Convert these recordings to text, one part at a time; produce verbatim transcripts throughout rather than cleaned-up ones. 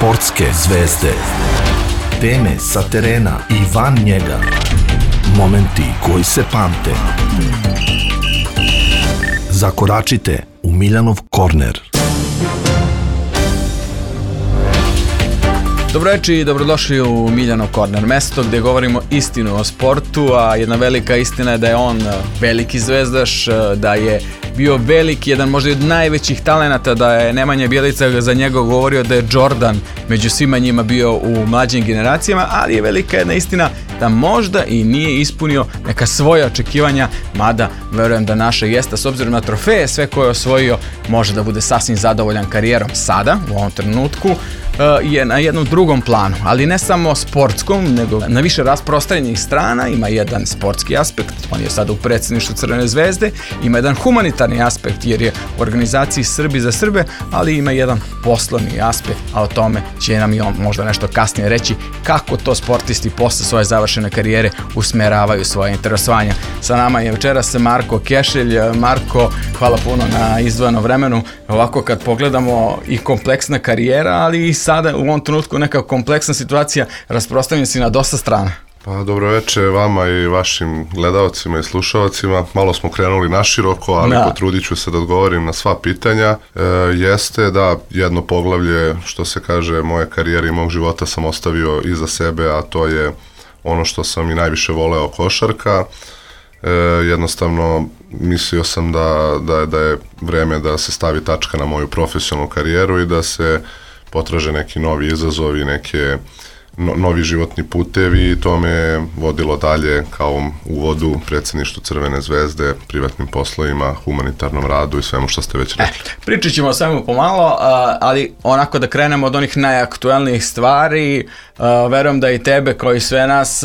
Sportske zvezde. Teme sa terena i van njega. Momenti koji se pamte. Zakoračite u Miljanov korner. Dobro večer i dobrodošli u Miljanov korner, mesto gdje govorimo istinu o sportu, a jedna velika istina je da je on veliki zvezdaš, da je bio veliki, jedan možda od najvećih talenata, da je Nemanja Bjelica za njega govorio da je Jordan među svima njima bio u mlađim generacijama, ali je velika jedna istina da možda i nije ispunio neka svoja očekivanja, mada verujem da naša jesta, s obzirom na trofeje sve koje je osvojio, može da bude sasvim zadovoljan karijerom sada, u ovom trenutku, je na jednom drugom planu, ali ne samo sportskom, nego na više rasprostranjenih strana. Ima jedan sportski aspekt, on je sada u predsjedništvu Crvene zvezde, ima jedan humanitarni aspekt jer je u organizaciji Srbi za Srbe, ali ima jedan poslovni aspekt, a o tome će nam i on možda nešto kasnije reći kako to sportisti posle svoje završene karijere usmeravaju svoje interesovanja. Sa nama je večeras Marko Kešelj. Marko, hvala puno na izdvojenom vremenu. Ovako kad pogledamo i kompleksna karijera, ali i sada u ovom trenutku neka kompleksna situacija, rasprostranjen si na dosta strana. Pa dobro večer vama i vašim gledalcima i slušalcima. Malo smo krenuli naširoko, ali da. Potrudit ću se da odgovorim na sva pitanja. E, jeste da jedno poglavlje, što se kaže, moje karijere i mog života sam ostavio iza sebe, a to je ono što sam i najviše voleo, košarka. E, jednostavno mislio sam da, da, da je vreme da se stavi tačka na moju profesionalnu karijeru i da se potraže neki novi izazovi, neke no, novi životni putevi, i to me vodilo dalje kao uvodu predsjedništvu Crvene zvezde, privatnim poslovima, humanitarnom radu i svemu što ste već rekli. E, pričat ćemo o svemu pomalo, ali onako da krenemo od onih najaktualnijih stvari. Verujem da i tebe, kao i sve nas,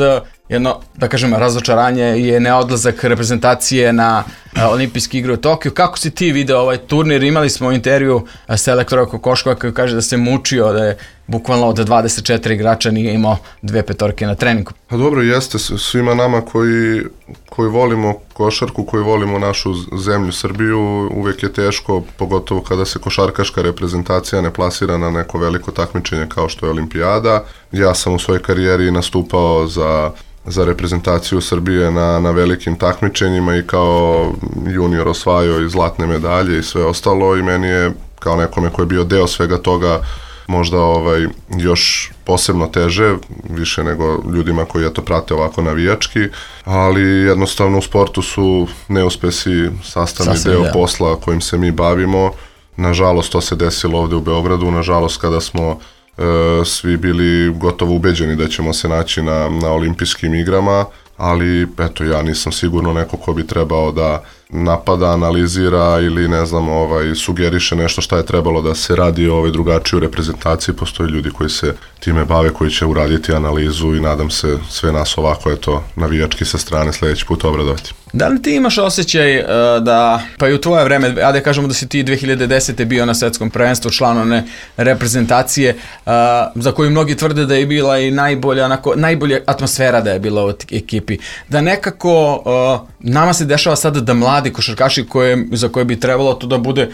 jedno, da kažem, razočaranje je neodlazak reprezentacije na olimpijske igre u Tokiju. Kako si ti video ovaj turnir? Imali smo intervju selektora Kokoškova koji kaže da se mučio, da je bukvalno od dvadeset četiri igrača nije imao dve petorke na treningu. Pa dobro, jeste svima nama koji, koji volimo košarku, koji volimo našu zemlju Srbiju, uvijek je teško, pogotovo kada se košarkaška reprezentacija ne plasira na neko veliko takmičenje kao što je olimpijada. Ja sam u svojoj karijeri nastupao za za reprezentaciju Srbije na, na velikim takmičenjima i kao junior osvajao i zlatne medalje i sve ostalo, i meni je kao nekome koji je bio deo svega toga možda ovaj, još posebno teže, više nego ljudima koji je to prate ovako navijački, ali jednostavno u sportu su neuspesi sastavni Sasvim, deo da. posla kojim se mi bavimo. Nažalost, to se desilo ovde u Beogradu, nažalost kada smo E, svi bili gotovo ubeđeni da ćemo se naći na, na olimpijskim igrama, ali eto, ja nisam sigurno neko ko bi trebao da napada, analizira ili ne znam, ovaj, sugeriše nešto šta je trebalo da se radi ovaj, drugačije u reprezentaciji. Postoje ljudi koji se time bave, koji će uraditi analizu i nadam se sve nas ovako, eto, navijački sa strane sljedeći put obradovati. Da li ti imaš osjećaj uh, da, pa i u tvoje vreme, a da kažemo da si ti dve hiljade desete bio na svetskom prvenstvu, član one reprezentacije, uh, za koju mnogi tvrde da je bila i najbolja, onako, najbolja atmosfera da je bila u ekipi, da nekako uh, nama se dešava sada da mladi košarkaši koje, za koje bi trebalo to da bude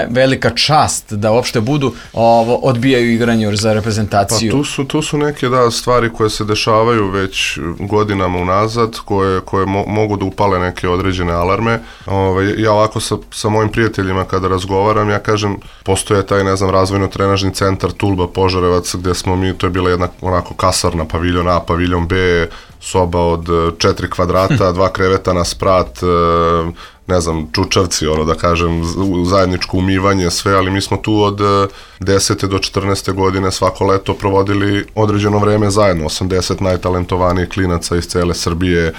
velika čast da uopšte budu, ovo, odbijaju igranje za reprezentaciju. Pa tu su, tu su neke da, stvari koje se dešavaju već godinama unazad, koje, koje mo, mogu da upale neke određene alarme. Ove, ja ovako sa, sa mojim prijateljima kada razgovaram, ja kažem, postoje taj, ne znam, razvojno-trenažni centar Tulba Požarevac, gde smo mi, to je bila jedna onako kasarna, paviljon A, paviljon B, soba od četiri kvadrata, dva kreveta na sprat, ne znam, čučavci, ono da kažem, zajedničko umivanje, sve, ali mi smo tu od desete do četrnaeste godine svako leto provodili određeno vreme zajedno, osamdeset najtalentovanijih klinaca iz cele Srbije,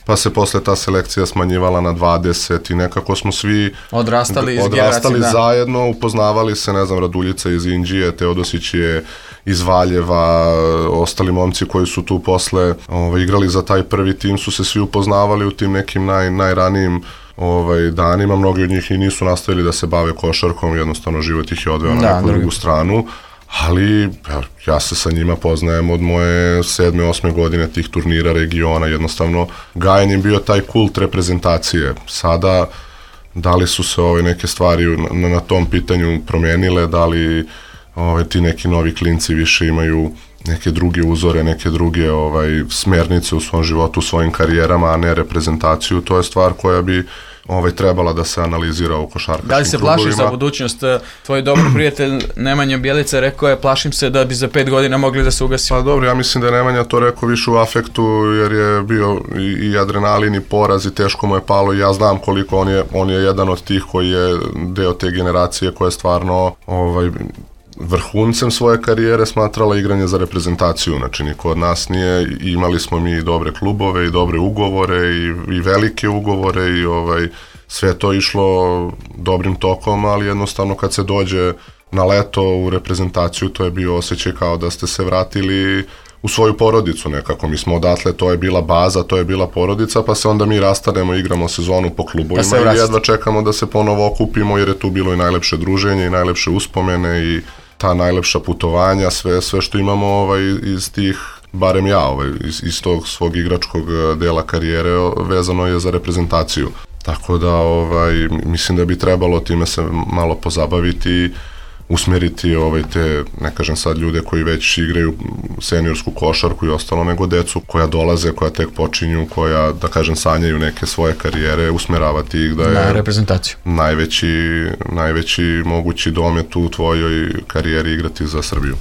pa se posle ta selekcija smanjivala na dvadeset i nekako smo svi odrastali, odrastali zajedno, upoznavali se, ne znam, Raduljica iz Inđije, Teodosić je iz Valjeva, ostali momci koji su tu posle ovaj, igrali za taj prvi tim su se svi upoznavali u tim nekim naj, najranijim ovaj, danima. Mnogi od njih i nisu nastavili da se bave košarkom, jednostavno život ih je odveo na neku drugu stranu. Ali ja se sa njima poznajem od moje sedme, osme godine tih turnira regiona, jednostavno gajen je bio taj kult reprezentacije. Sada, da li su se ove neke stvari na, na tom pitanju promijenile, da li ovaj, ti neki novi klinci više imaju neke druge uzore, neke druge ovaj, smernice u svom životu, u svojim karijerama, a ne reprezentaciju. To je stvar koja bi ovaj, trebala da se analizira u košarkaškim krugovima. Da li se plašiš za budućnost? Tvoj dobar prijatelj Nemanja Bjelica rekao je, plašim se da bi za pet godina mogli da se ugasi. Pa dobro, ja mislim da je Nemanja to rekao više u afektu, jer je bio i, i adrenalin i poraz i teško mu je palo i ja znam koliko on je, on je jedan od tih koji je deo te generacije koja je stvarno ovaj, vrhuncem svoje karijere smatrala igranje za reprezentaciju, znači niko od nas nije, imali smo mi i dobre klubove i dobre ugovore i, i velike ugovore i ovaj, sve to išlo dobrim tokom, ali jednostavno kad se dođe na leto u reprezentaciju to je bio osjećaj kao da ste se vratili u svoju porodicu nekako, mi smo odatle, to je bila baza, to je bila porodica, pa se onda mi rastanemo, igramo sezonu po klubovima pa i jedva čekamo da se ponovo okupimo jer je tu bilo i najlepše druženje i najlepše uspomene i ta najlepša putovanja, sve, sve što imamo ovaj, iz tih, barem ja, ovaj, iz, iz tog svog igračkog dela karijere vezano je za reprezentaciju. Tako da ovaj, mislim da bi trebalo time se malo pozabaviti, usmeriti ovaj, te, ne kažem sad ljude koji već igraju seniorsku košarku i ostalo, nego decu koja dolaze, koja tek počinju, koja, da kažem, sanjaju neke svoje karijere, usmeravati ih da je na reprezentaciju. Najveći, najveći mogući domet u tvojoj karijeri igrati za Srbiju.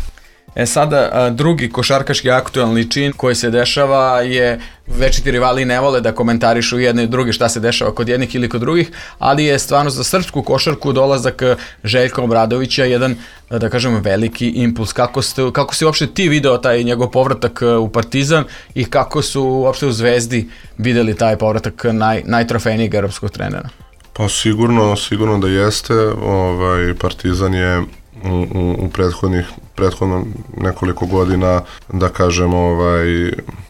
E sada, drugi košarkaški aktualni čin koji se dešava je, večiti rivali ne vole da komentarišu jedne i druge šta se dešava kod jednih ili kod drugih, ali je stvarno za srpsku košarku dolazak Željka Obradovića jedan, da kažemo, veliki impuls. Kako, ste, kako si uopšte ti video taj njegov povratak u Partizan i kako su uopšte u Zvezdi videli taj povratak naj, najtrofejnijeg europskog trenera? Pa sigurno, sigurno da jeste. Ovaj, Partizan je u, u, u prethodnih prethodno nekoliko godina, da kažem, ovaj,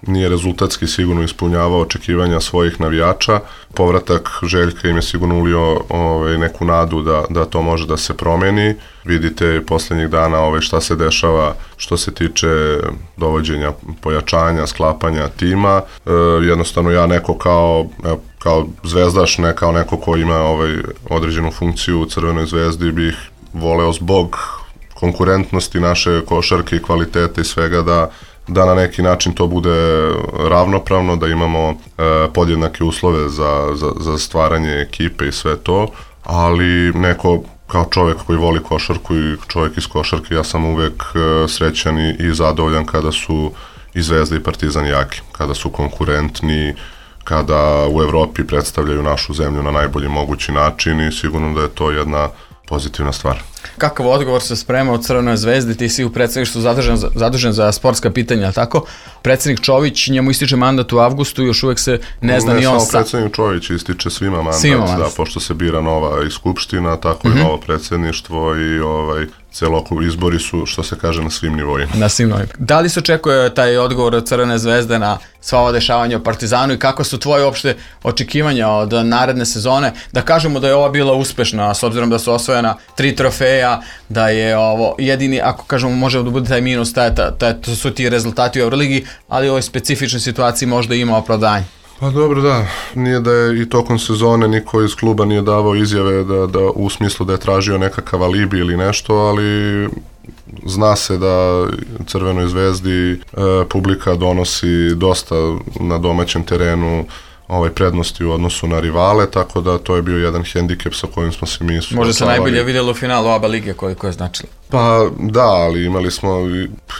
nije rezultatski sigurno ispunjavao očekivanja svojih navijača. Povratak Željka im je sigurno ulio ovaj, neku nadu da, da to može da se promeni. Vidite poslednjih dana ovaj, šta se dešava što se tiče dovođenja, pojačanja, sklapanja tima. E, jednostavno ja neko kao, kao zvezdaš, ne kao neko ko ima ovaj, određenu funkciju u Crvenoj zvezdi, bih voleo zbog konkurentnosti naše košarke i kvalitete i svega da, da na neki način to bude ravnopravno, da imamo e, podjednake uslove za, za, za stvaranje ekipe i sve to, ali neko kao čovjek koji voli košarku i čovjek iz košarke, ja sam uvek e, srećan i, i zadovoljan kada su i Zvezda i Partizan jaki, kada su konkurentni, kada u Evropi predstavljaju našu zemlju na najbolji mogući način i sigurno da je to jedna pozitivna stvar. Kakav odgovor se sprema od Crvenoj zvezdi? Ti si u predsedništvu zadužen, zadužen za sportska pitanja, tako? Predsednik Čović, njemu ističe mandat u avgustu, još uvek se ne zna ne, ni on... Ne samo predsednik Čović, ističe svima mandat, svima da, pošto se bira nova i skupština, tako mm-hmm. i novo predsedništvo i ovaj, celokupni izbori su, što se kaže, na svim nivoima. Na svim nivoima. Da li se očekuje taj odgovor od Crvene zvezde na sva ova dešavanja u Partizanu i kako su tvoje opšte očekivanja od naredne sezone? Da kažemo da je ova bila uspešna, s obzirom da su osvojena tri trofeja, da je ovo jedini, ako kažemo, može da bude taj minus, taj, taj, taj, to su ti rezultati u Euroligi, ali u ovoj specifičnoj situaciji možda ima opravdanje. Pa dobro, da, nije da je i tokom sezone niko iz kluba nije davao izjave da, da u smislu da je tražio nekakav alibi ili nešto, ali zna se da Crvenoj zvezdi e, publika donosi dosta na domaćem terenu ovaj prednosti u odnosu na rivale, tako da to je bio jedan hendikep sa kojim smo se mi suočavali. Možda se najbolje vidjelo u finalu oba lige koliko je značilo. Pa da, ali imali smo,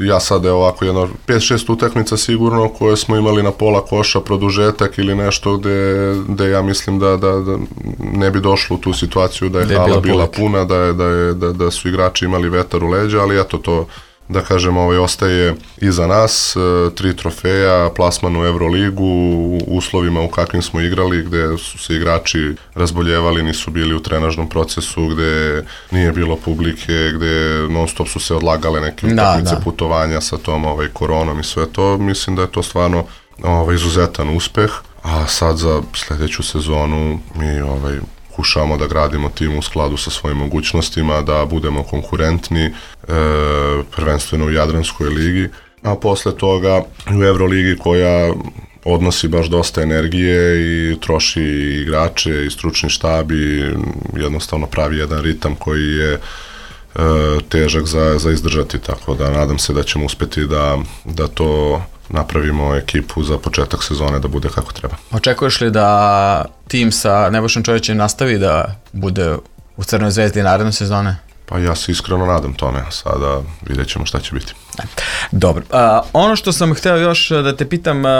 ja sad je ovako jedno pet šest utakmica sigurno koje smo imali na pola koša, produžetak ili nešto gde, gde ja mislim da, da, da ne bi došlo u tu situaciju da je hala bila, bila puna, da, je, da, je, da, da su igrači imali vetar u leđa, ali eto to, da kažem, ovaj, ostaje iza nas, tri trofeja, plasman u Euroligu, u uslovima u kakvim smo igrali, gde su se igrači razboljevali, nisu bili u trenažnom procesu, gde nije bilo publike, gde non stop su se odlagale neke utakmice, putovanja sa tom ovaj, koronom i sve to. Mislim da je to stvarno ovaj, izuzetan uspeh, a sad za sledeću sezonu mi ovaj, pokušavamo da gradimo tim u skladu sa svojim mogućnostima, da budemo konkurentni, e, prvenstveno u Jadranskoj ligi, a posle toga u Euroligi koja odnosi baš dosta energije i troši igrače i stručni štab i jednostavno pravi jedan ritam koji je e, težak za, za izdržati, tako da nadam se da ćemo uspeti da, da to napravimo ekipu za početak sezone da bude kako treba. Očekuješ li da tim sa Nebojšom Čovićem nastavi da bude u Crnoj zvezdi naredne sezone? Pa ja se iskreno nadam tome, sada vidjet ćemo šta će biti. Dobro. Uh, ono što sam hteo još da te pitam, uh,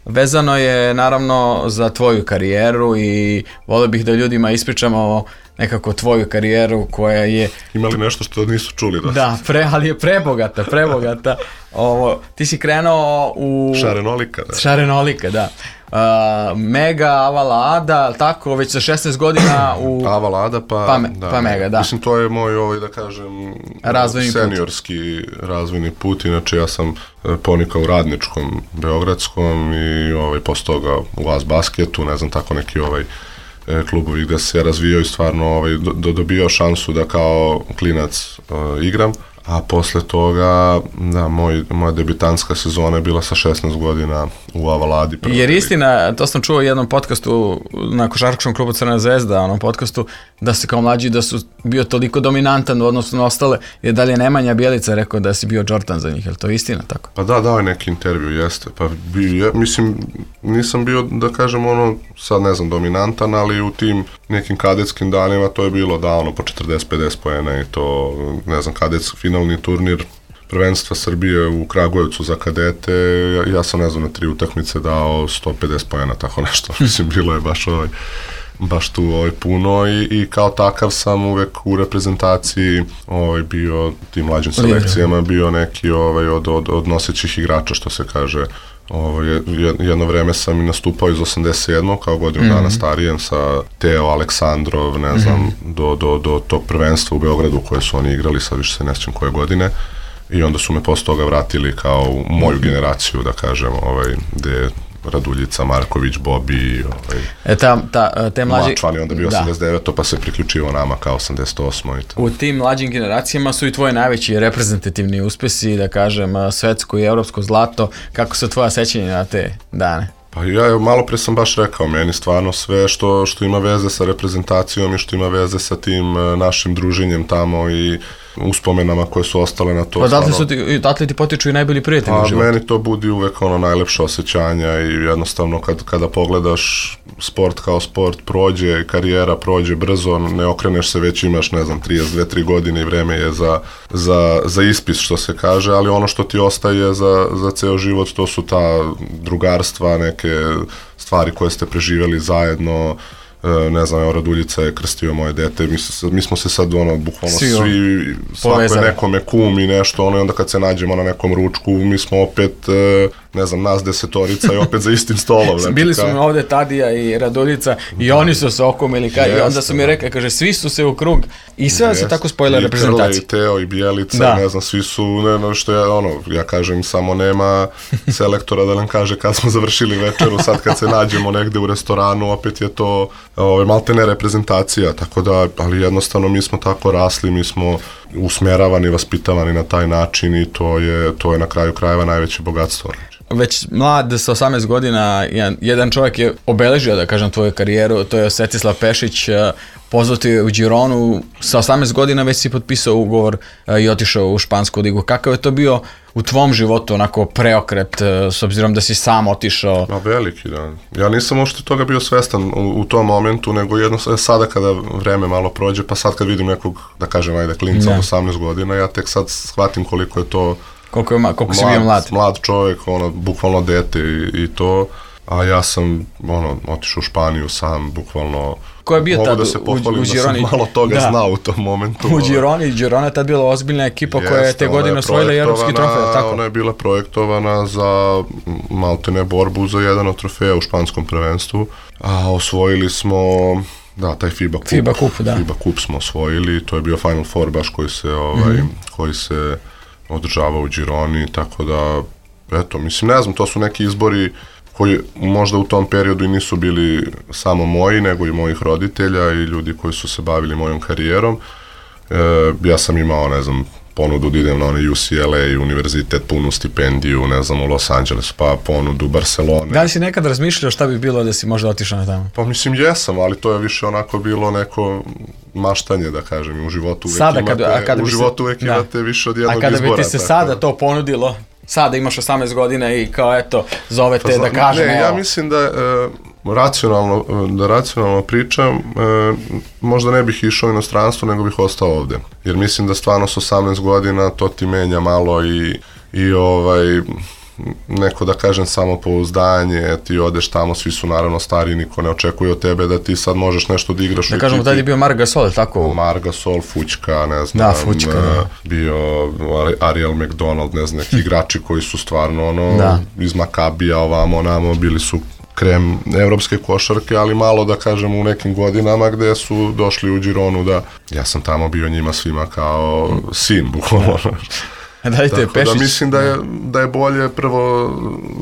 vezano je naravno za tvoju karijeru i volio bih da ljudima ispričamo nekako tvoju karijeru koja je... Imali nešto što nisu čuli? Da, da pre, ali je prebogata, prebogata. Ovo, ti si krenuo u... Šarenolika, da. Šarenolika, da. Uh, Mega, Avala Ada, tako, već sa šesnaest godina u... Avala Ada, pa... Pa, me, da, pa Mega, da. Mislim, to je moj, ovaj, da kažem, razvojni seniorski put. razvojni put. Inače, ja sam ponikao u Radničkom, Beogradskom i ovaj, posle toga u As Basketu, ne znam, tako neki ovaj klubovi gde se razvijao i stvarno ovaj, do, dobio šansu da kao klinac uh, igram. A posle toga, da, moj, moja debitanska sezona je bila sa šesnaest godina u Avaladi. Jer istina, to sam čuo u jednom podcastu na košarkaškom klubu Crna zvezda, onom podcastu, da si kao mlađi da su bio toliko dominantan u odnosu na ostale, jer dalje Nemanja Bjelica rekao da si bio Jordan za njih, je li to istina tako? Pa da, dao je neki intervju, jeste. Pa bi, ja, mislim, nisam bio, da kažem, ono, sad ne znam, dominantan, ali u tim nekim kadetskim danima to je bilo da, ono, po četrdeset pedeset poena i to, ne znam, kadetski finalni turnir prvenstva Srbije u Kragujevcu za kadete, ja, ja sam ne znam na tri utakmice dao sto pedeset poena, tako nešto, mislim, bilo je baš ovaj, baš tu ovaj, puno i, i kao takav sam uvek u reprezentaciji ovaj, bio tim mlađim selekcijama, bio neki ovaj, od, od, od nosećih igrača, što se kaže. Ovo, jedno vreme sam i nastupao iz osamdeset sedmog kao godinu mm-hmm. dana starijem sa Teo, Aleksandrov, ne znam, mm-hmm. do, do, do tog prvenstva u Beogradu koje su oni igrali, sad više se ne sjećam koje godine. I onda su me posle toga vratili kao u moju generaciju, da kažem, ovaj, gde Raduljica, Marković, Bobi, ovaj, e, ta, ta, te mlađi... Mačvan je onda bio osamdeset deveto pa se priključio nama kao osamdeset osmo i to. U tim mlađim generacijama su i tvoji najveći reprezentativni uspesi, da kažem, svetsko i evropsko zlato. Kako su tvoja sećanja na te dane? Pa ja malo pre sam baš rekao, meni stvarno sve što, što ima veze sa reprezentacijom i što ima veze sa tim našim druženjem tamo i uspomenama koje su ostale na to. Pa odatle su ti, odatle ti potiču i najbolji prijatelji u životu. Meni to budi uvek ono najlepše osjećanja i jednostavno kad, kada pogledaš sport kao sport, prođe, karijera prođe brzo, ne okreneš se, već imaš, ne znam, trideset dve tri godine i vreme je za, za, za ispis, što se kaže, ali ono što ti ostaje za, za ceo život, to su ta drugarstva, neke stvari koje ste preživjeli zajedno. Ne znam, evo Raduljica je krstio moje dete, mi, se, mi smo se sad ono, bukvalno svi, svi svako je nekome kum i nešto, ono, i onda kad se nađemo na nekom ručku, mi smo opet, ne znam, nas desetorica i opet za istim stolom. Znači, bili su mi ovde Tadija i Raduljica i da. Oni su se okomili, ka, i onda su mi rekli, kaže, svi su se u krug i sve da se tako spojila reprezentacija. I Teo i Bjelica, da. Ne znam, svi su, ne, no, što ja, ono, ja kažem, samo nema selektora da nam kaže kad smo završili večeru, sad kad se nađemo negde u restoranu, opet je to ove, maltene reprezentacija, tako da, ali jednostavno mi smo tako rasli, mi smo usmjeravani, vaspitavani na taj način i to je, to je na kraju krajeva najveće bogatstvo. Već mlad sa osamnaest godina, jedan, jedan čovjek je obeležio, da kažem, tvoju karijeru, to je Svetislav Pešić, pozvao ti u Gironu, sa osamnaest godina već si potpisao ugovor i otišao u špansku ligu. Kakav je to bio u tvom životu, onako preokret, s obzirom da si sam otišao? Ma veliki, da. Ja nisam uopšte toga bio svestan u, u tom momentu, nego jedno sada kada vreme malo prođe, pa sad kad vidim nekog, da kažem, ajde, klinca od osamnaest godina, ja tek sad shvatim koliko je to Koliko, je, koliko si bio mlad? Mlad čovjek, ono, bukvalno dete i, i to, a ja sam, ono, otišao u Španiju sam, bukvalno, ko je bio mogu tad da se pohvalim u, u da sam malo toga da. znao u tom momentu. U Gironi, Girona je tad bila ozbiljna ekipa Jeste, koja je te godine osvojila evropski trofej, tako? Ona je bila projektovana za maltene borbu za jedan od trofeja u španskom prvenstvu, a osvojili smo... Da, taj FIBA kup, FIBA kup, da. FIBA kup smo osvojili, to je bio Final Four baš koji se, ovaj, mm-hmm. koji se održava u Gironi, tako da, eto, mislim, ne znam, to su neki izbori koji možda u tom periodu i nisu bili samo moji, nego i mojih roditelja i ljudi koji su se bavili mojom karijerom. E, ja sam imao, ne znam, ponudu da idem na onaj U C L A, univerzitet, punu stipendiju, ne znam, u Los Angelesu, pa ponudu Barcelone. Da li si nekad razmišljao šta bi bilo da si možda otišao na tamo? Pa mislim jesam, ali to je više onako bilo neko maštanje, da kažem, u životu uvek sada, imate, kada, kada u životu se, uvek da. imate više od jednog izbora. A kada izbora, bi ti se tako. sada to ponudilo, sada imaš osamnaest godina i kao eto, zove te pa, da kažem ne, evo. ja mislim da e, racionalno, da racionalno pričam, e, možda ne bih išao u inostranstvo, nego bih ostao ovde. Jer mislim da stvarno s osamnaest godina to ti menja malo i, i ovaj, neko da kažem samopouzdanje, ti odeš tamo, svi su naravno stari, niko ne očekuje od tebe da ti sad možeš nešto da igraš. Da kažemo, tada je bio Marc Gasol, tako? Marc Gasol, Fućka, ne znam, da, Fućka, da. bio Ariel McDonald, ne znam, neki igrači koji su stvarno ono, da. iz Makabija ovamo, onamo, bili su krem evropske košarke, ali malo da kažem u nekim godinama gde su došli u Gironu da ja sam tamo bio njima svima kao sin, bukvalno. Dajte, Tako da mislim da je, da je bolje prvo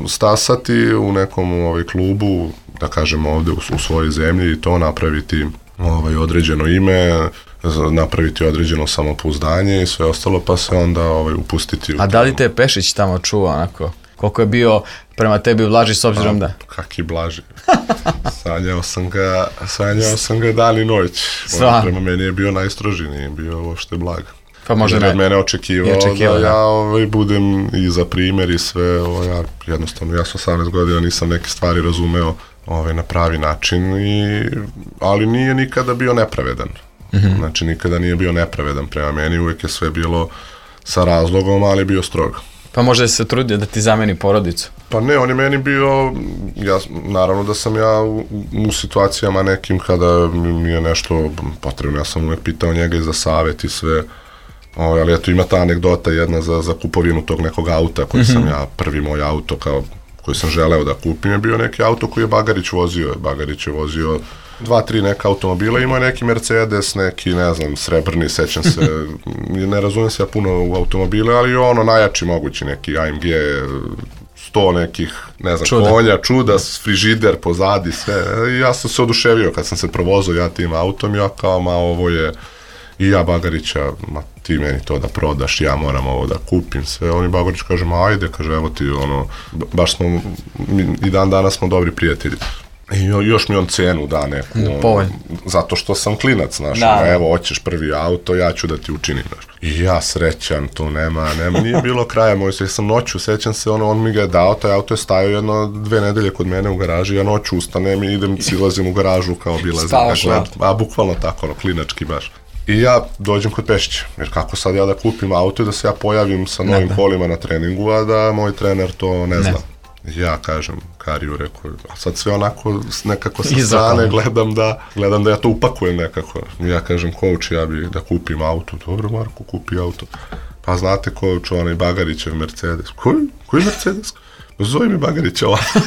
stasati u nekom ovaj, klubu, da kažemo ovde u, u svojoj zemlji i to napraviti ovaj, određeno ime, napraviti određeno samopouzdanje i sve ostalo, pa se onda ovaj, upustiti. A da li te Pešić tamo čuva onako? Koliko je bio prema tebi Blaži s obzirom da? Kaki Blaži. Sanjao sam ga, sanjao sam ga dan i noć. Sva. Prema meni je bio najstroži, nije bio uopšte blag. Pa možda ne. ne. Od mene očekivao, očekivao da, da ja ovaj, budem i za primjer i sve, ovaj, ja, jednostavno, ja sam osamnaest godina, nisam neke stvari razumeo ovaj, na pravi način, i, ali nije nikada bio nepravedan. Mm-hmm. Znači, nikada nije bio nepravedan prema meni, uvijek je sve bilo sa razlogom, ali je bio strogo. Pa možda se trudio da ti zameni porodicu? Pa ne, on je meni bio, ja, naravno da sam ja u, u situacijama nekim kada mi je nešto potrebno, ja sam uvijek pitao njega i za savjet i sve, o, ali eto ima ta anegdota jedna za, za kupovinu tog nekog auta koji mm-hmm. sam ja, prvi moj auto kao, koji sam želeo da kupim je bio neki auto koji je Bagarić vozio, Bagarić je vozio dva, tri neka automobila, imao je neki Mercedes, neki, ne znam, srebrni, sećam se, ne razumijem se ja puno u automobile, ali ono najjači mogući neki A M G, sto nekih, ne znam, čuda. konja, čuda, frižider pozadi, sve. I ja sam se oduševio kad sam se provozao ja tim autom, ja kao, ma ovo je, i ja Bagarića, ma ti meni to da prodaš, ja moram ovo da kupim, sve. On i Bagarić kaže, ma ajde, kaže, evo ti, ono, baš smo, i dan danas smo dobri prijatelji. I još mi on cenu da neku, ono, zato što sam klinac, znaš, da. Evo, hoćeš prvi auto, ja ću da ti učinim, znaš. I ja srećan, to nema, nema, nije bilo kraja moj, ja sam noću, sećam se, ono, on mi ga je dao, taj auto je stajao jedno, dve nedelje kod mene u garaži, ja noću ustanem i idem, silazim u garažu kao bilazim, a bukvalno tako, ono, klinački baš. I ja dođem kod Pešića, jer kako sad ja da kupim auto i da se ja pojavim sa novim ne, kolima na treningu, a da moj trener to ne zna. Ne. Ja kažem Kariju, rekao, a sad sve onako nekako sa strane gledam da, gledam da ja to upakujem nekako. Ja kažem, coach, ja bih da kupim auto. Dobro, Marko, kupi auto. Pa znate, coach, onaj Bagarićev Mercedes. Koji? Koji Mercedes? Zove mi Bagarića ovako.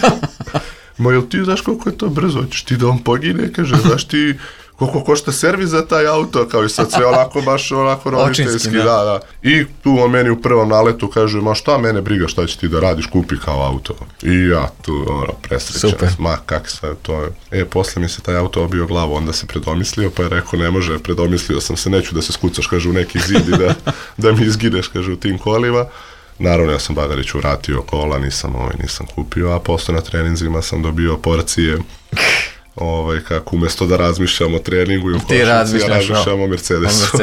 Ma, jel ti znaš koliko je to brzo? Hoćeš ti da on pogine? Kaže, znaš ti koliko košta servis za taj auto, kao i sad sve onako, baš onako roditeljski, da, da. I tu on meni u prvom naletu kaže, ma šta mene briga, šta će ti da radiš, kupi kao auto. I ja tu, ono, presrećan, super. Ma, kak sve to je. E, posle mi se taj auto obio glavu, onda se predomislio, pa je rekao, ne može, predomislio sam se, neću da se skucaš, kaže, u neki zid i da, da mi izgineš, kaže, u tim kolima. Naravno, ja sam Bagariću vratio kola, nisam, ovaj, nisam kupio, a posle na treninzima sam dobio porcije ovaj, kako umjesto da razmišljam o treningu i u košarci, ja razmišljam o Mercedesu.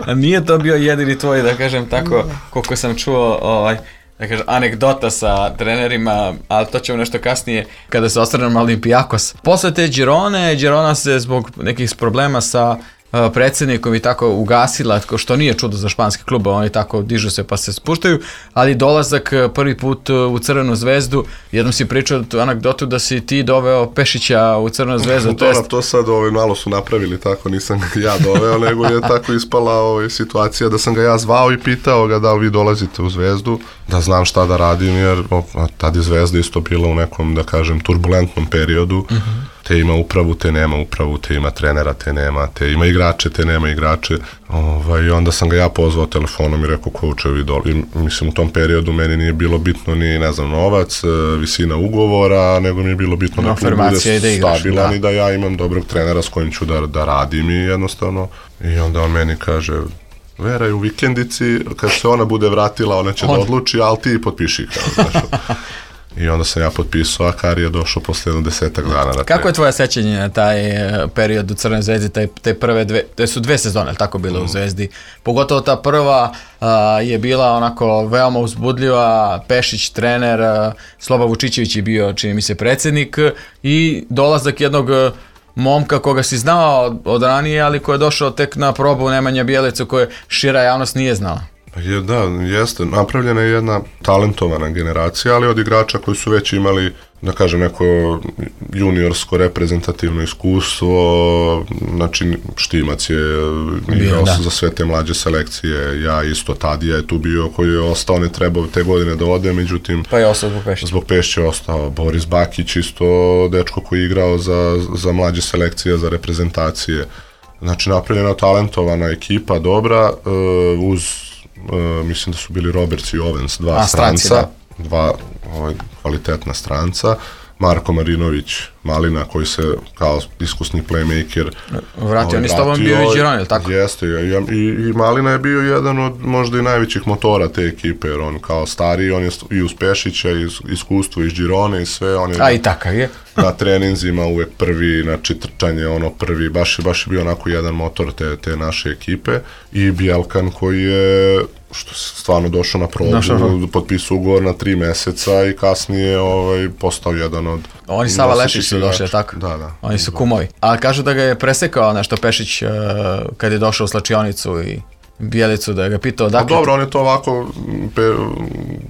A nije to bio jedini tvoj, da kažem tako, koliko sam čuo, ovaj, da kažem, anegdota sa trenerima, ali to ćemo nešto kasnije, kada se osvrnem na Olimpijakos. Posle te Girone, Girona se zbog nekih problema sa uh, predsjednikom i tako ugasila, što nije čudo za španski klub, oni tako dižu se pa se spuštaju, ali dolazak prvi put u Crvenu zvezdu, jednom si pričao tu anegdotu da si ti doveo Pešića u Crvenu zvezdu. To, jest... to sad ovaj, malo su napravili tako, nisam ga ja doveo, nego je tako ispala ovaj, situacija da sam ga ja zvao i pitao ga da li vi dolazite u Zvezdu, da znam šta da radim, jer o, tad je Zvezda isto bila u nekom, da kažem, turbulentnom periodu. Mm-hmm. Te ima upravu, te nema upravu, te ima trenera, te nema, te ima igrače, te nema igrače. Ovaj, i onda sam ga ja pozvao telefonom i rekao, coachevi doli. Mislim, u tom periodu meni nije bilo bitno ni, ne znam, novac, visina ugovora, nego mi je bilo bitno no, da klub bude da igraš, stabilan da. I da ja imam dobrog trenera s kojim ću da, da radim i jednostavno. I onda on meni kaže, Vera je u vikendici, kad se ona bude vratila, ona će On... da odluči, ali ti potpiši. Kao, znaš. I onda sam ja potpisao, a Kari je došao posle jedno desetak dana. Na Kako je tvoje sećanje na taj period u Crvenoj Zvezdi, taj, te prve dve, te su dve sezone, tako bile mm. u Zvezdi. Pogotovo ta prva a, je bila onako veoma uzbudljiva, Pešić trener, a, Sloba Vučićević je bio, čini mi se, predsjednik i dolazak jednog momka koga si znao od ranije, ali koji je došao tek na probu Nemanja Bjelicu koje šira javnost nije znala. Je, da, jeste. Napravljena je jedna talentovana generacija, ali od igrača koji su već imali, da kažem, neko juniorsko reprezentativno iskustvo. Znači, Štimac je igrao da. za sve te mlađe selekcije, ja isto, Tadija je tu bio koji je ostao, ne trebao te godine da ode, međutim... Pa je ostao zbog Pešića. Zbog Pešića je ostao. Boris Bakić isto, dečko koji je igrao za, za mlađe selekcije, za reprezentacije. Znači, napravljena talentovana ekipa, dobra, uh, uz Uh, mislim da su bili Roberts i Owens, dva A, stranca, stranci, dva ovaj, kvalitetna stranca, Marko Marinović, Malina, koji se kao iskusni playmaker vratio, on je s tobom bio i Girona, ili tako? Jeste, i, i, i Malina je bio jedan od možda i najvećih motora te ekipe, jer on kao stariji, on je i uz Pešića, i iskustvo iz Girone i sve, on je A, i takav je. na treninzima uvek prvi, znači trčanje, ono prvi, baš, baš je bio onako jedan motor te, te naše ekipe, i Bjelkan koji je što se stvarno došao na probu, potpisao ugovor na tri meseca i kasnije ovaj, postao jedan od... Oni Sava Lešić su došli, tako? Da, da. Oni su kumovi. A kažu da ga je presekao nešto Pešić uh, kad je došao u slačionicu i Bjelicu, da je ga pitao dakle... Pa dobro, on je to ovako, Pe,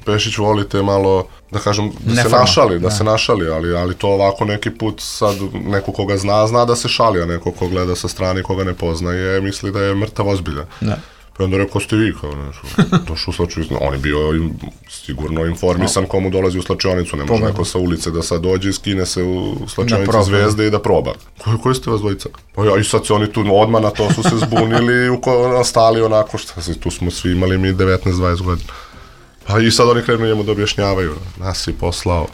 Pešić volite malo, da kažem, da Neforma. se našali, da, da se našali, ali, ali to ovako neki put sad neko koga zna, zna da se šali, a neko ko gleda sa strane koga ne poznaje, misli da je mrtav ozbiljan. Da. Pa onda rekao, ste vi kao nešto, došao u slačionicu, on je bio sigurno informisan no. komu dolazi u slačionicu, ne može neko sa ulice da sad dođe i skine se u slačionicu Zvezde i da proba. Koji, koji ste vas dvojica? Pa ja, i sad se oni tu odmah na to su se zbunili i nastali onako, šta se, tu smo svi imali mi devetnaest dvadeset godina. Pa i sad oni krenu njemu da objašnjavaju, nas je poslao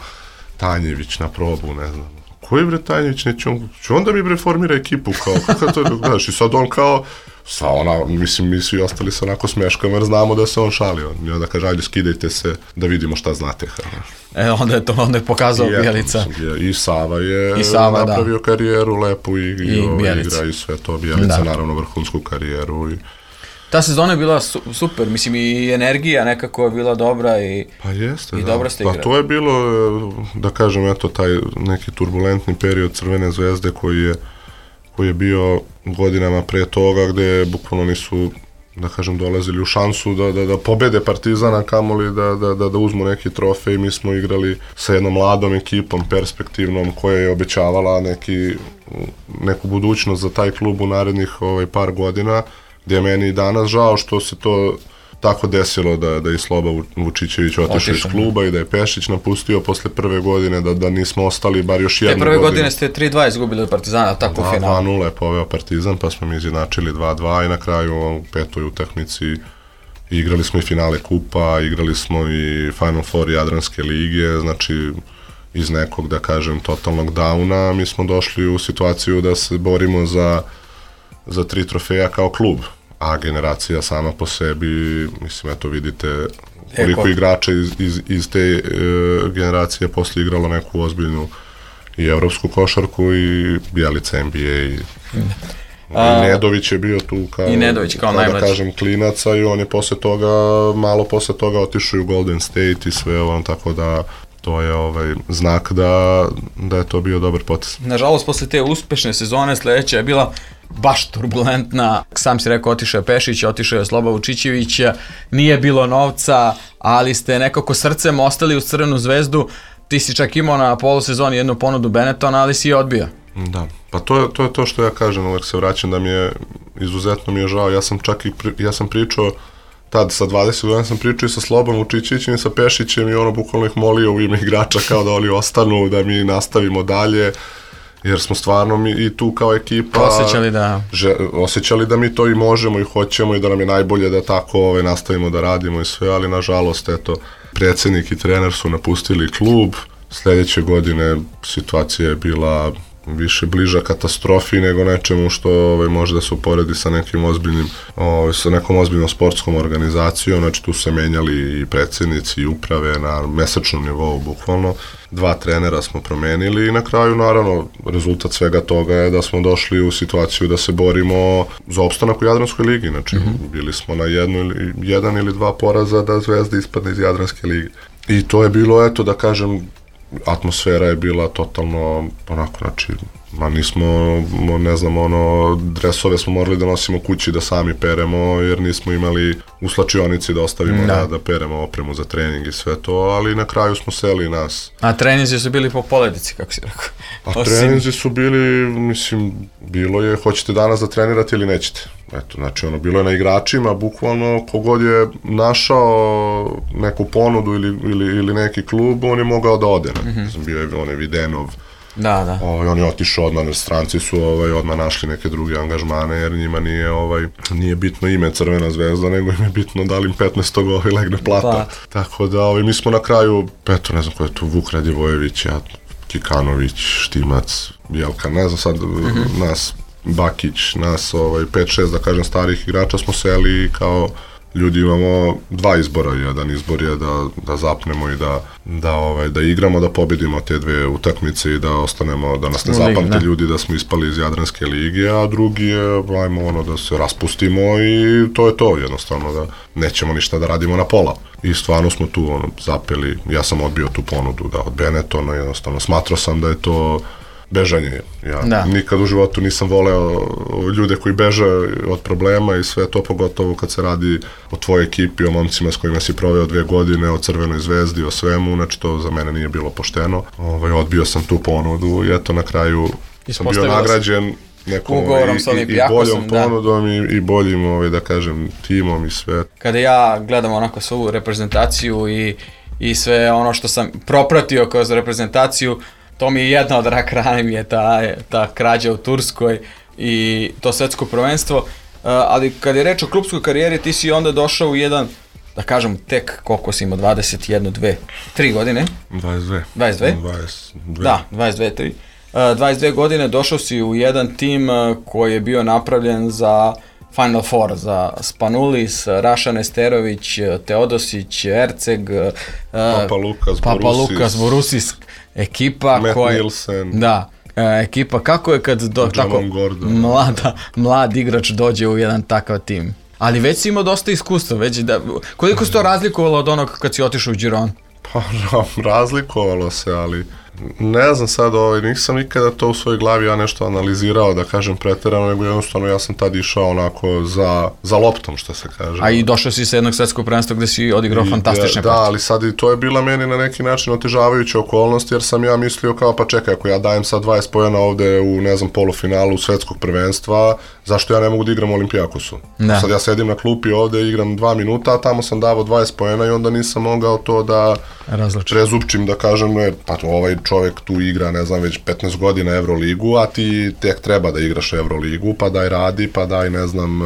Tanjević na probu, ne znam. Koji bre Tanjević, neće on, će onda mi bre formira ekipu, kao, kako to je, gledaš, i sad on kao, sa ona, mislim, mi svi ostali se onako smeškama jer znamo da se on šalio. I onda kaže, ajde, skidajte se da vidimo šta znate. E, onda je to, onda je pokazao I Bjelica. I Sava je I Sava, napravio da. karijeru lepu i, i, I ovaj, igra i sve to. Bjelica, da. naravno, vrhunsku karijeru. I... Ta sezona je bila su, super, mislim, i energija nekako je bila dobra i, pa jeste, i da. dobro ste igrali. Pa to je bilo, da kažem, eto, taj neki turbulentni period Crvene Zvezde koji je koji je bio godinama pre toga gde bukvalno nisu, da kažem, dolazili u šansu da, da, da pobede Partizana, kamoli da, da, da, da uzmu neki trofej. Mi smo igrali sa jednom mladom ekipom, perspektivnom, koja je obećavala neki, neku budućnost za taj klub u narednih ovaj, par godina, gdje je meni i danas žao što se to tako desilo da, da je Sloba Vučićević otišao iz kluba i da je Pešić napustio posle prve godine, da, da nismo ostali bar još jednu godinu. Te prve godine ste tri dva izgubili od Partizana, tako u finalu. dva nula je poveo Partizan, pa smo mi izjednačili dva dva i na kraju u petoj utakmici igrali smo i finale kupa, igrali smo i Final Four Jadranske lige, znači iz nekog, da kažem, totalnog downa mi smo došli u situaciju da se borimo za, za tri trofeja kao klub. A generacija sama po sebi, mislim, eto vidite koliko Eko. igrača iz, iz, iz te e, generacije posle igralo neku ozbiljnu i evropsku košarku i Bjelica N B A i, A, i Nedović je bio tu kao, i Nedović kao, kao da kažem, klinaca i on je posle toga, malo posle toga otišao u Golden State i sve on, tako da to je ovaj znak da, da je to bio dobar potez. Nažalost, posle te uspešne sezone sledeća je bila baš turbulentna. Sam si rekao, otišao je Pešić, otišao je Sloba Vučićević, nije bilo novca, ali ste nekako srcem ostali uz Crvenu Zvezdu. Ti si čak imao na polusezoni jednu ponudu Benettona, ali si je odbio. Da, pa to je, to je to što ja kažem, uvek se vraćam da mi je, izuzetno mi je žao. Ja sam čak i, pri, ja sam pričao tad sa dvadeset godina sam pričao i sa Slobom Vučićevićem i sa Pešićem i ono bukvalno ih molio u ime igrača kao da oni ostanu, da mi nastavimo dalje, jer smo stvarno mi i tu kao ekipa osjećali da že, osjećali da mi to i možemo i hoćemo i da nam je najbolje da tako ove, nastavimo da radimo i sve, ali nažalost eto, predsjednik i trener su napustili klub. Sljedeće godine situacija je bila više bliža katastrofi nego nečemu što ovaj, može da se uporedi sa nekim ozbiljnim, ovaj, sa nekom ozbiljnom sportskom organizacijom, znači tu se menjali i predsjednici i uprave na mesečnom nivou bukvalno, dva trenera smo promenili i na kraju naravno rezultat svega toga je da smo došli u situaciju da se borimo za opstanak u Jadranskoj ligi, znači mm-hmm. bili smo na jednu ili, jedan ili dva poraza da Zvezda ispadne iz Jadranske lige. I to je bilo, eto da kažem, atmosfera je bila totalno onako, znači, ma nismo, ne znam, ono, dresove smo morali da nosimo kući da sami peremo, jer nismo imali u slačionici da ostavimo da, da peremo opremu za trening i sve to, ali na kraju smo seli nas. A treninzi su bili po poledici, kako si rekao? A treninzi su bili, mislim, bilo je, hoćete danas da trenirate ili nećete. Eto, znači, ono, bilo je na igračima, bukvalno, kogod je našao neku ponudu ili, ili, ili neki klub, on je mogao da ode. Mm-hmm. Bio je onaj Videnov, da, da. Ovaj, on je otišao odmah, stranci su ovaj, odmah našli neke druge angažmane, jer njima nije, ovaj, nije bitno ime Crvena zvezda, nego im je bitno da li im petnaest ovaj, legne plata. Plat. Tako da, ovaj, mi smo na kraju, eto, ne znam ko je tu, Vuk Radivojević, ja, Kikanović, Štimac, Jelka, ne znam sad, mm-hmm. nas, Bakić, nas ovaj, pet šest, da kažem, starih igrača smo seli i kao ljudi imamo dva izbora. Jedan izbor je da, da zapnemo i da, da, ovaj, da igramo, da pobedimo te dve utakmice i da ostanemo, da nas ne zapamte ljudi da smo ispali iz Jadranske lige, a drugi je, ajmo, ono, da se raspustimo i to je to, jednostavno, da nećemo ništa da radimo na pola. I stvarno smo tu ono, zapeli, ja sam odbio tu ponudu da od Benetona, jednostavno, smatrao sam da je to bežanje. Ja da. Nikad u životu nisam voleo ljude koji beže od problema i sve to, pogotovo kad se radi o tvojoj ekipi, o momcima s kojima si proveo dve godine, o Crvenoj zvezdi, o svemu, znači to za mene nije bilo pošteno. Ovaj, odbio sam tu ponudu i eto na kraju sam bio nagrađen nekom i, i, i boljom ponudom i, i boljim, ovaj, da kažem, timom i sve. Kada ja gledam onako svu reprezentaciju i, i sve ono što sam propratio kroz reprezentaciju, to mi je jedna od rak rane, mi je ta, ta krađa u Turskoj i to svetsko prvenstvo, uh, ali kad je reč o klupskoj karijeri, ti si onda došao u jedan, da kažem, tek koliko si imao, dvadeset jedna, dve, tri godine? dvadeset dve. dvadeset dve? dvadeset dve. Da, dvadeset dve, tri. Uh, dvadeset dve godine došao si u jedan tim uh, koji je bio napravljen za Final Four, za Spanulis, Raša Nesterović, Teodosić, Erceg, uh, Papa Lukas, Papa Lukas, Borusis, ekipa Matt koja... Nielsen. Da, e, ekipa, kako je kad do, tako, mlada, mlad igrač dođe u jedan takav tim? Ali već si imao dosta iskustva, već da, koliko se to razlikovalo od onog kad si otišao u Gironu? Pa razlikovalo se, ali ne znam sad, ovaj, nisam nikada to u svojoj glavi ja nešto analizirao, da kažem preterano, nego jednostavno ja sam tad išao onako za, za loptom, što se kaže. A i došao si sa jednog svetskog prvenstva gde si odigrao I, fantastične da, partije. Da, ali sad i to je bila meni na neki način otežavajuća okolnost, jer sam ja mislio kao, pa čekaj, ako ja dajem sad dvadeset pojena ovde u, ne znam, polufinalu svetskog prvenstva, zašto ja ne mogu da igram u Olimpijakosu? Da. Sad ja sedim na klupi ovde, igram dva minuta, a tamo sam davao dvadeset pojena i onda nisam mogao to da Različim. prezupčim, da kažem, ne, pa ovaj čovjek tu igra, ne znam, već petnaest godina Evroligu, a ti tek treba da igraš Evroligu, pa daj radi, pa daj, ne znam,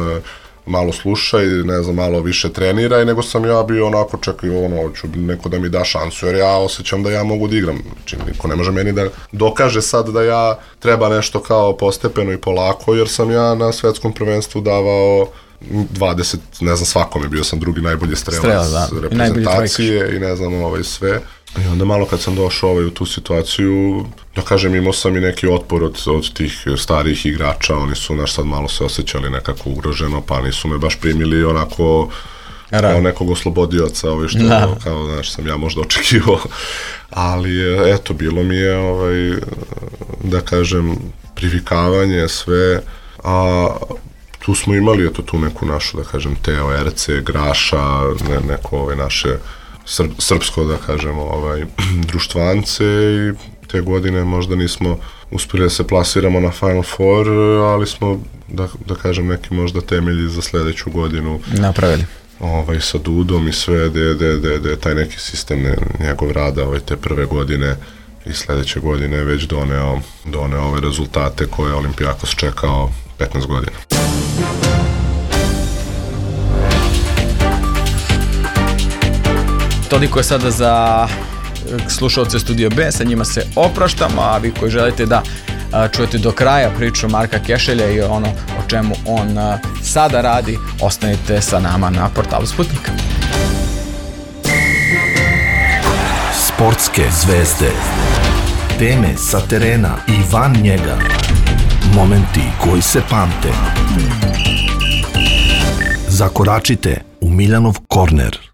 malo slušaj, ne znam, malo više treniraj, nego sam ja bio onako, čekaj, ono, ću neko da mi da šansu, jer ja osjećam da ja mogu da igram. Znači, niko ne može meni da dokaže sad da ja treba nešto kao postepeno i polako, jer sam ja na svetskom prvenstvu davao dvadeset, ne znam, svakome, bio sam drugi najbolji strelac Strela, da. reprezentacije i, i ne znam, ovaj, sve. I onda malo kad sam došao ovaj, u tu situaciju, da kažem, imao sam i neki otpor od, od tih starijih igrača, oni su naš sad malo se osjećali nekako ugroženo, pa nisu me baš primili onako Rad. kao nekog oslobodioca, ovaj, što da. kao, znaš, sam ja možda očekivao, ali eto, bilo mi je, ovaj, da kažem, privikavanje, sve, a tu smo imali, eto, tu neku našu, da kažem, Teo, Erce, Graša, ne, neko ove naše Srb, srpsko, da kažemo, ovaj, društvance i te godine možda nismo uspjeli da se plasiramo na Final Four, ali smo, da, da kažem, neki možda temelji za sljedeću godinu napravili. Ovaj, sa Dudom i sve, de, de, de, de, taj neki sistem, ne, njegov rada, ovaj, te prve godine i sljedeće godine već doneo, doneo ove rezultate koje Olimpijakos čekao petnaest godina. Toliko je sada za slušalce Studio B, sa njima se opraštamo, a vi koji želite da čujete do kraja priču Marka Kešelja i ono o čemu on sada radi, ostanite sa nama na portalu Sputnika. Sportske zvezde, teme sa terena i van njega, momenti koji se pamte. Zakoračite u Miljanov korner.